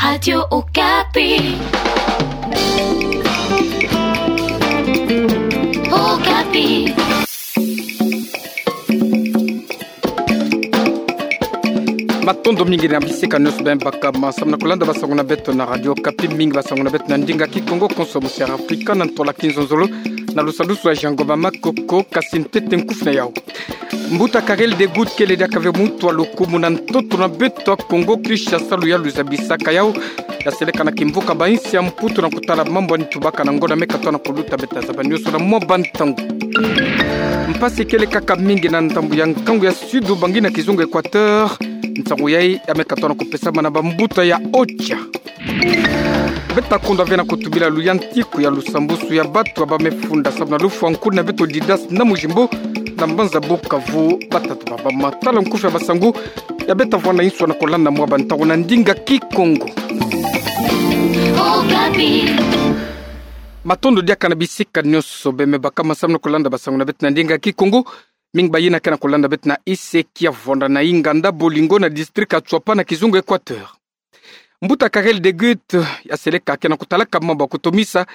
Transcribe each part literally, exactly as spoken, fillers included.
Radio Okapi. Okapi. Matondo mingi na bisika nionso bima baka ma samu na kulanda basango na beto na Radio Okapi. Mingi basango na beto na ndinga Kikongo, konso musi'Afrika na ntola kinzonzolo, na lusadusu ya Jean Ngoma Makoko. Kasi ntete nkufi na yau. Mbuta Karel de Gucht kele diaka ve muntu wa lukumu na ntoto na beto Kongo Kinshasa, luyalu zabisaka yau, ya seleka na kimvuka ba insi ya Mputu na kutala mambu ani tubaka na ngonda me katoa na kuluta. Beta zaba nionso na mwa bantangu. Mpasi kele kaka mingi na ndambu ya nkangu ya Sud, ba ngi na kizunga Equateur. Nsangu yai ya me katoa na kupesama na bambuta ya OCHA. Beta kondwa ve na kutubila luyantiku ya lusambusu ya batu ba me funda samu na lufwa nkuni na beto Didas na Mujimbo, na mbanza Bukavu. Bata tubaba matala nkufi ya basangu ya beta vwanda inso na kolanda mwa bantangu na ndinga Kikongo. Okapi. Matondo diaka na bisika nionso bima baka ma samu na kolanda basangu na beto na ndinga Kikongo. Mingi bayina ke na kolanda beto na Iseki ya vwanda na inganda Bolingo na district ya Tshuapa na kizunga Equateur. Mbuta Karel de Gucht ya seleka ke na kutalaka mambu ya kutomisa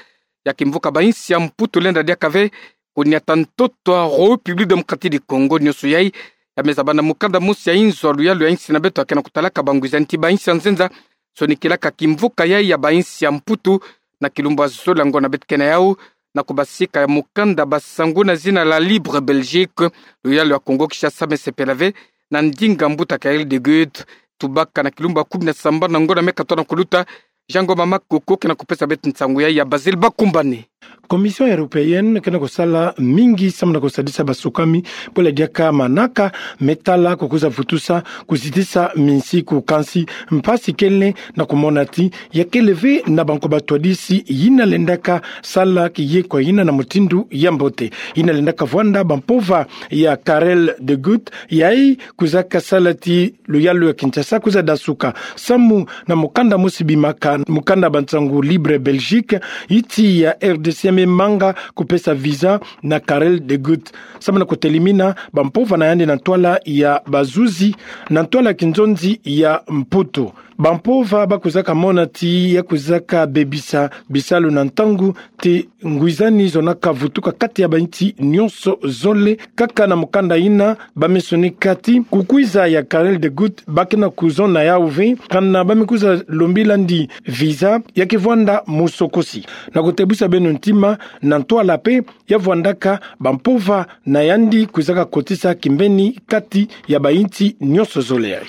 ya kimvuka ba insi ya Mputu lenda diaka ve kuniata ntoto ya République Démocratique du Congo. Nionso yai ya me zaba na mukanda mosi ya inzo ya luyalu ya insi na beto ya ke na kutalaka bangwizani ti ba insi ya nzenza sonikilaka kimvuka yai ya ba insi ya Mputu na kilumbu ya zole ya ngonda beto ke na yau, na kubasika ya mukanda basangu na zina la Libre Belgique. Luyalu ya Kongo Kinshasa me sepela ve na ndinga Mbuta Karel de Gucht tubaka na kilumbu ya kumi na sambanu na ngonda me katoa na kuluta. Jean Ngoma Makoko ke na kupesa beto nsangu yai ya Basile Bakumbane. Commission européenne ke na kusala mingi samu na kusadisa basukami, bwela diaka manaka me tala kukwiza vutusa, kuzitisa minsiku. Kansi mpasi kele na kumona ti ya kele ve na banko batwadisi yina lendaka sala kiyekwa yina na mutindu ya mbote. Yina lendaka vwanda bampova ya Karel de Gucht, yai kwizaka sala ti luyalu ya Kinshasa kwiza dasuka. Samu na mukanda mosi bimaka, mukanda bansangu Libre Belgique, insi ya R D C ya me manga kupesa visa na Karel de Gucht samu na kutelimina bampova na yandi na ntwala ya bazuzi, na ntwala ya kinzonzi ya Mputu. Bampova ba kwizaka mona ti ya kwizaka bebisa bisalu na ntangu ti ngwizani zonaka vutuka kati ya bainsi nionso zole. Kaka na mukanda yina ba me sonika ti kukwiza ya Karel de Gucht ba ke na kuzona yau ve, kana ba me kwiza lombila yandi visa ya ke vwanda musokosi. Na kutebusa beno ntima, na ntwala pe ya vwandaka, bampova na yandi kwizaka kotisa kimbeni kati ya bainsi nionso zole yai.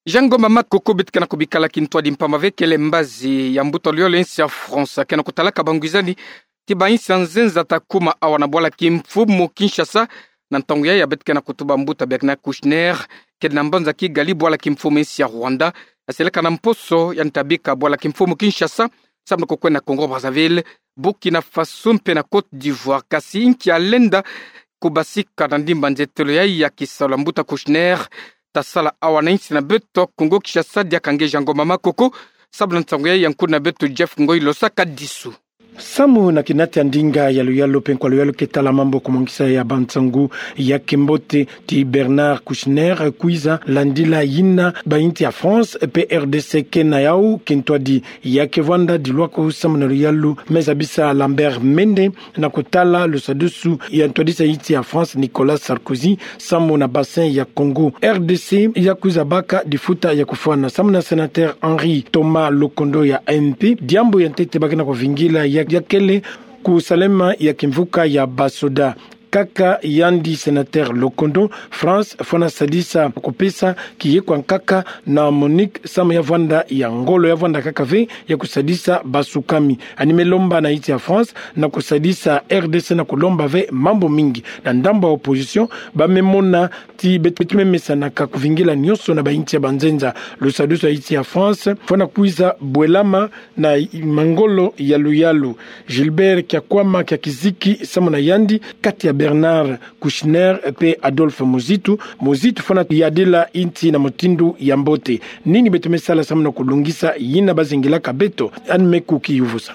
Jean Ngoma Makoko, beto ke na kubikala kintwadi mpamba ve kele mbazi ya mbuta luyalu ya insi ya France ke na kutalaka bangwizani ti bainsi ya nzenza ta kuma awa na bwala kimfumu Kinshasa. Na ntangu yai ya beto ke na kutuba mbuta Bernard Kouchner, kele na mbanza Kigali, bwala kimfumu insi ya Rwanda, ya seleka na mposo ya nta bika bwala kimfumu Kinshasa samu na kukwenda Congo Brazzaville, Burkina Faso mpe na Côte d'Ivoire. Kasi nki alenda kubasika na ndimba nzetelo yai ya kisalu ya mbuta Kouchner ta sala awa na insi na beto Congo Kinshasa? Diaka nge Jean Ngoma Makoko, samu na nsangu yai ya nkuni na beto Jeff Ngoi Losaka Disu. Samu na kinati ya ndinga ya luyalu mpe nkwa luyalu ke tala mambu kumongisa ya bansangu ya kimbote ti Bernard Kouchner kwiza landila yina bainsi ya France mpe R D C ke na yau kintwadi ya ke vwanda dilwaku samu na luyalu. Me zabisa Lambert Mende na kutala lusadusu ya ntwadisi ya insi ya France Nicolas Sarkozy samu na bassin ya Congo. R D C ya kwiza baka difuta ya kufwana samu na sénateur Henri Thomas Lokondo ya M P. Diambu ya ntete ba ke na kuvingila ya, ya kele kusalema ya kimvuka ya basoda. Kaka yandi sénateur Lokondo, France fwana sadisa kupesa kiyekwa nkaka na MONUC samu ya vwanda ya ngolo, ya vwanda kaka ve ya kusadisa basukami. Ani me lomba na insi ya France na kusadisa R D C na kulomba ve mambu mingi. Na ndambu ya opposition, ba me mona ti beto, beto me mesanaka kuvingila nionso na bainsi ya banzenza. Lusadusu ya insi ya France fwana kwiza bwelama na mangolo ya luyalu. Gilbert Kiakwama Kiakiziki samu na yandi, kati ya Bernard Kouchner mpe Adolphe Muzitu. Muzitu fwana yadila insi na mutindu ya mbote. Nini beto me sala samu na kulungisa yina ba zingilaka beto? Ani me kukiyuvusa.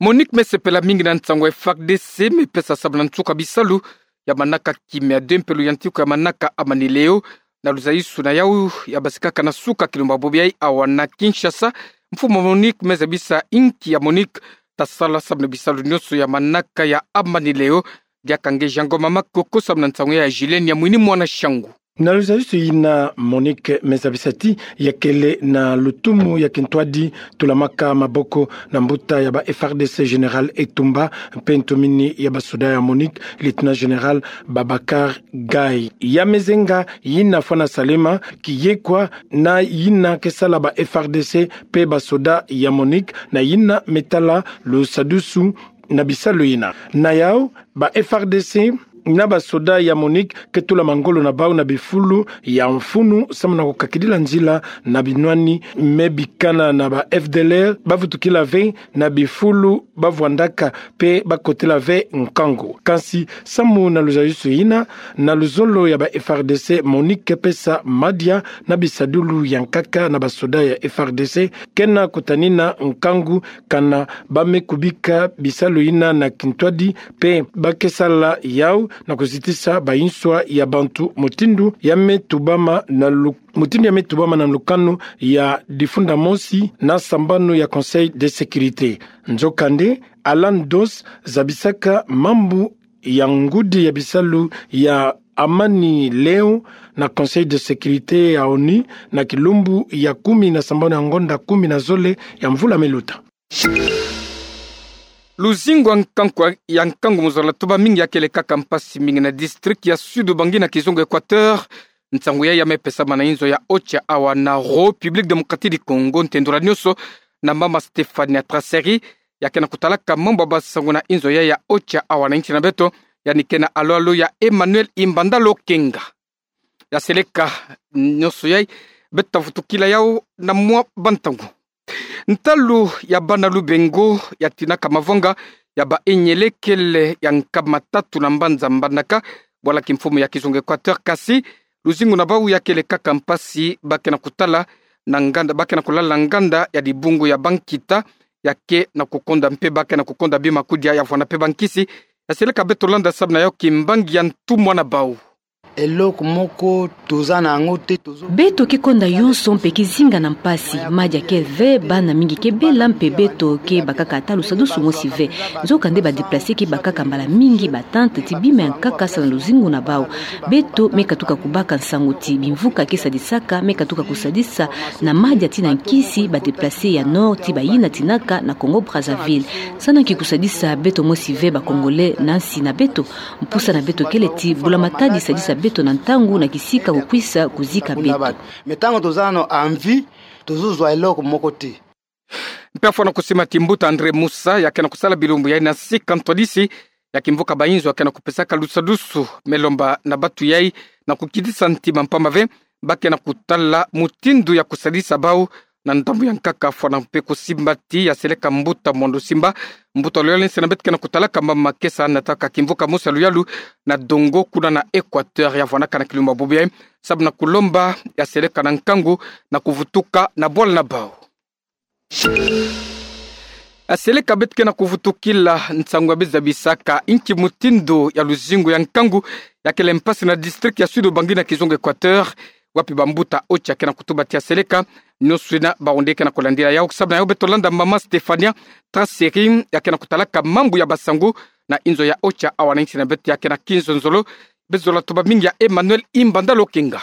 MONUC me sepela mingi na nsangu ya F A R D C me pesa samu na nsuka bisalu ya manaka kimia de mpe luyantiku ya manaka amanileo. Na luzayusu na yau ya basikaka na suka kilumbu bobo yayi awa na Kinshasa, mfumu Monique me zabisa inki ya Monique ta sala samu na bisalu nionso ya manaka ya amani leo. Diaka nge Jean Ngoma Makoko samu na nsangu ya Julien Nyamwini Mwana Shangu. Na luzayusu yina, Monique me zabisa ti ya kele na lutumu ya kintwadi tulamaka maboko na mbuta ya ba F R D C Général Etumba, mpe ntumini ya basoda ya Monique, Lieutenant Général Babacar Gaye. Ya mezenga yina fwana salama kiyekwa na yina ke sala ba F R D C mpe basoda ya Monique, na yina me tala lusadusu na bisalu yina. Na yau, ba F R D C na basoda ya Monique ke tula mangolo na bau na bifulu ya mfunu samu na kukakidila nzila na binwani me bikana na ba F D L R, bavutukila ve na bifulu bavwandaka mpe bakotela ve nkangu. Kansi samu na luzayusu yina, na luzolo ya ba F R D C, Monique ke pesa madia na bisadulu ya nkaka na basoda ya F R D C, kena kutanina nkangu kana ba me kubika bisalu yina na kintwadi, mpe ba ke sala yau na kuzitisa banswa ya bantu mutindu ya me tubama na lu-, mutindu ya me tubama na lukanu ya difunda mosi na sambanu ya Conseil de Sécurité. Nzokande, Alan Dos zabisaka mambu ya ngudi ya bisalu ya amani leo na Conseil de Sécurité ya ONU na kilumbu ya kumi na sambanu ya ngonda kumi na zole ya mvula me luta. Luzingu ya nkangu, ya nkangu mu zola tuba mingi ya kele kaka mpasi mingi na district ya Sud-Ubangi na kizunga Équateur. Nsangu yayi ya me pesama na inzo ya Ocha awa na République Démocratique du Congo, ntendula nionso na mama Stéphania Traceri, ya ke na kutalaka mambu ya basangu na inzo yayi ya Ocha awa na insi na beto, yandi ke na alo-alo ya Emmanuel Imbanda Lokenga. Ya seleka nionso yayi, beto ta vutukila yau na mwa bantangu. Ntalu ya bana Lubengo ya tinaka mavanga ya ba enyelekele ya nkama tatu na mbanza Mbandaka, bwala kimfumu ya kizunga Équateur, kasi luzingu na bau ya kele kaka mpasi, ba ke na kutala na nganda, ba ke na kulala na nganda ya dibungu ya bankita, ya ke na kukonda mpe ba ke na kukonda bima kudia ya vwanda mpe bankisi. Ya seleka beto landa samu na yau kimbangi ya ntumwa na bau. Eloko moko toza na yango te, tozo- Beto ke konda yonso mpe ke zinga na mpasi, madia ke ve, bana mingi ke bela mpe beto ke bakaka ata lusadusu mosi ve. Nzokande ba déplacés ke bakaka mbala mingi ba tentes ti bima ya nkaka samu na luzingu na bau. Beto me katuka kubaka nsangu ti bimvuka ke sadisaka me katuka kusadisa na madia ti na nkisi ba déplacés ya nord ti bayina tinaka na Congo Brazzaville. Samu na nki kusadisa beto mosi ve ba Congolais na nsi na beto? Mpusa na beto kele ti Mbula Matadi sadisa beto na ntangu na kisika kukwisa kuzika beto. Mais ntango toza nano en vie, tozozwa eloko moko te. Mpe fwana kusimbama ti mbuta André Musa, ya ke na kusala bilumbu yayi na sika ntwadisi ya kimvuka bainzo, ya ke na kupesaka lusadusu, me lomba na batu yayi na kukitisa ntima mpamba ve, ba ke na kutala mutindu ya kusadisa bau na ndambu ya nkaka, fwana mpe kusimbama ti ya seleka mbuta Mwando Simba, mbuta wa luyalu nsi na beto ke na kutalaka mama ke sa nataka kimvuka mosi ya luyalu na Dongo kuna na Équateur, ya vwanaka na kilumbu bobo yayi samu na kulomba ya seleka na nkangu na kuvutuka na bwala na bau. Ya seleka beto ke na kuvutukila nsangu ya beza bisaka inki mutindu ya luzingu ya nkangu ya kele mpasi na district ya Sud-Ubangi na kizunga Équateur, wapi bambuta Ocha ke na kutuba ti ya seleka nionso yina bawu nde ke na kulandila yau. Samu na yau beto landa mama Stéphania Traceri, ya ke na kutalaka mambu ya basangu na inzo ya Ocha awa na insi na beto, ya ke na kinzonzolo. Bezola tuba mingi ya Emmanuel Imbanda Lokenga.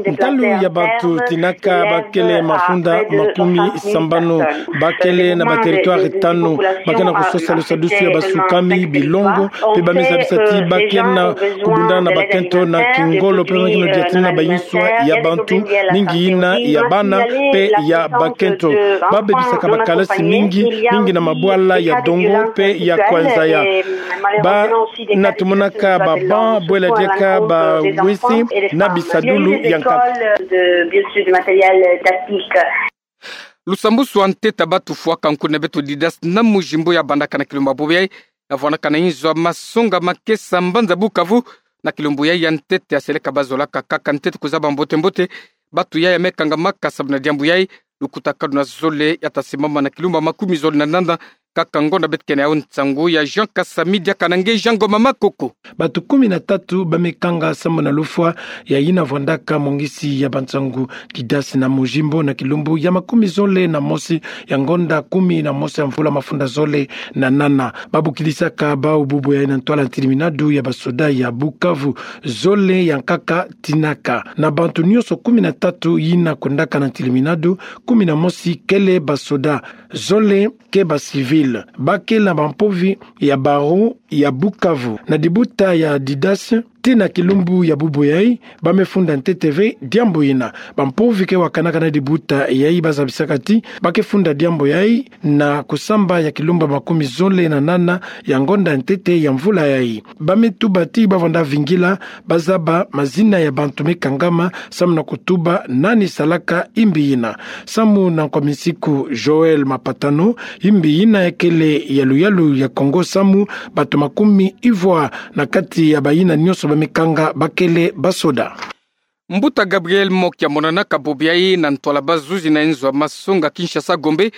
Ntalu ya batu tinaka ba kele mafunda makumi sambanu, ba kele na ba territoire tanu, ba ke na kusosa lusadusu ya basukami, bilongo, mpe ba meza bisati ba ke na kubundana na bakento na kingolo, mpe ba ke na diatina na bainzo ya bantu, mingi yina ya bana mpe ya bakento. Ba bebisaka ba kalasi mingi, mingi na mabwala ya Dongo mpe ya Kwanzaya. Ba na tumonaka ba banc, bwela diaka ba wese na bisadulu ya nkaka. Lusambusu wa ntete ya batu fwaka nkuna beto Didas na Mujimbo ya bandaka na kilumbu bobo yayi, ya vwanaka na inzo ya masonga makesa mbanza Bukavu. Na kilumbu yayi ya ntete ya seleka ba zolaka kaka ntete kuzaba mbote-mbote batu yayi ya me kangamaka samu na diambu yayi. Lukutakanu na zole ya ta simbama na kilumbu ya makumi zole na nanda Kaka ngonda beto kena ya nsangu ya Jean Kasami diaka na nge Jean Ngoma Makoko. Bato kumi na tatu bamekanga samu na lufwa ya yina vwandaka mongisi ya bansangu Didace na Mojimbo na kilumbu ya makumi zole na mosi ya ngonda kumi na mosi ya mvula mafunda zole na nana. Babukidisaka bawu bubu yayi na ntwala ntiliminadu ya basoda ya Bukavu. Zole ya nkaka tinaka. Na bantu nyonso kumi na tatu yina kwendaka na ntiliminadu, kumi na mosi kele basoda, zole ke ba civil. Bakele na bampovi ya barreau ya Bukavu na dibuta ya Didace. Tii na kilumbu ya bubu yayi, bamefunda ntete ve diambu yina. Bampovi ke wakanaka na dibuta yayi bazabisaka ti ba ke funda diambu yayi na kusamba ya kilumbu ya makumi zole na nana ya ngonda ntete ya mvula yayi. Bametuba ti bavwanda vingila bazaba mazina ya bantu mekangama samu na kutuba nani salaka imbi yina. Samu na Nkominsiku Joël Mapatano, imbi yina ya kele ya luyalu ya Kongo samu bato makumi ivwa na kati ya bayina nyonso bamekanga bakele basoda. Mbuta Gabriel Mokia monanaka bobo yayi na ntwala bazuzi na nzo ya masonga Kinshasa Gombe.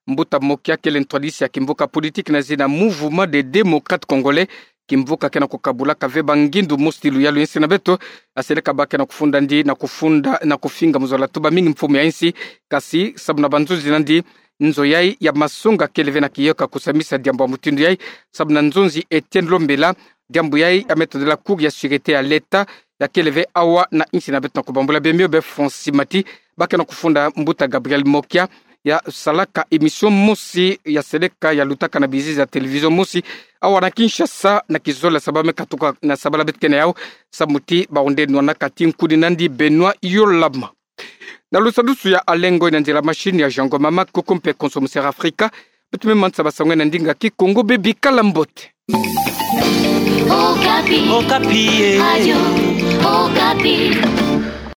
Mbuta Mokia kele ntwadisi ya kimvuka politique na zina Mouvement des Démocrates Congolais. Kimvuka ke na kukabulaka ve bangindu mosi ti luyalu ya insi na beto. Aseleka ba ke na kufunda ndi na kufunda na kufinga muzola tuba mingi mfumu ya insi. Kasi samu na banzuzi na ndi, nzo yayi ya masonga kele ve na kiyoka kusamisa diambu ya mutindu yayi. Samu na nzonzi Etienne Lombela, diambu yayi ya metodela Cour ya sûreté ya l'État ya kele ve awa na insi na beto na kubambula bemio be Francis Mati. Ba ke na kufunda mbuta Gabriel Mokia ya salaka émission mosi ya seleka ya lutaka na bizizi ya télévision mosi awa na Kinshasa na kizole ya sabala mekatuka na sabala beto kena yawu. Samu ti bahunde nwanaka ti nkuni na ndi Benoît Yolama. Na lusadusu ya alengo ina nzila machine ya Jean Ngoma Makoko mpe konso Musera Afrika. Beto me manisa basango ina ndinga Kikongo, bebikala mbote. Okapi. Okapi, eh. Radio Okapi.